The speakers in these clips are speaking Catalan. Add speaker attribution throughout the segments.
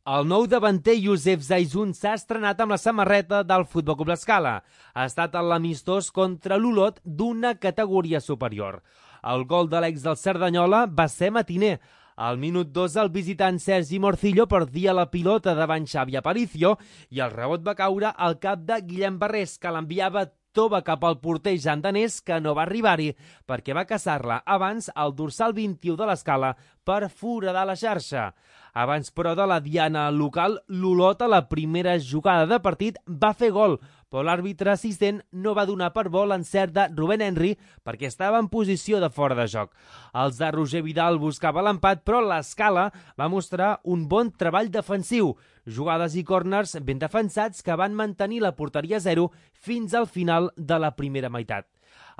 Speaker 1: El nou davanter Youssef Zaizun s'ha estrenat amb la samarreta del Futbol Club L'Escala. Ha estat a l'amistós contra l'Olot d'una categoria superior. El gol de l'ex del Cerdanyola va ser matiner. Al minut 2, el visitant Sergi Morcillo perdia la pilota davant Xavi Aparicio i el rebot va caure al cap de Guillem Barrés, que l'enviava tova cap al porter Jan Danés, que no va arribar-hi perquè va caçar-la abans al dorsal 21 de l'Escala per foradar la xarxa. Abans, però, de la diana local, l'Olot a la primera jugada de partit va fer gol, però l'àrbitre assistent no va donar per bo l'encert de Rubén Henry perquè estava en posició de fora de joc. Els de Roger Vidal buscava l'empat, però l'Escala va mostrar un bon treball defensiu, jugades i córners ben defensats que van mantenir la porteria a 0 fins al final de la primera meitat.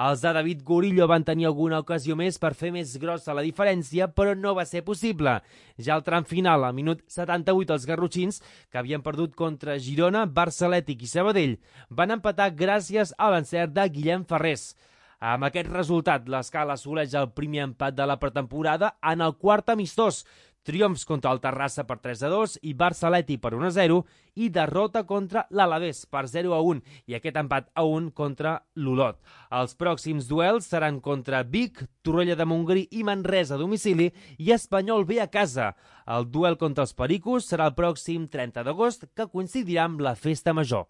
Speaker 1: Els de David Gorillo van tenir alguna ocasió més per fer més grossa la diferència, però no va ser possible. Ja al tram final, al minut 78, els garrotxins, que havien perdut contra Girona, Barça Atlètic i Sabadell, van empatar gràcies a l'encert de Guillem Ferrés. Amb aquest resultat, l'Escala assoleix el primer empat de la pretemporada en el quart amistós, triomfs contra el Terrassa per 3-2 i Barça Atlètic per 1-0 i derrota contra l'Alavés per 0-1 i aquest empat a 1 contra l'Olot. Els pròxims duels seran contra Vic, Torroella de Montgrí i Manresa a domicili i Espanyol B a casa. El duel contra els Pericos serà el pròxim 30 d'agost, que coincidirà amb la Festa Major.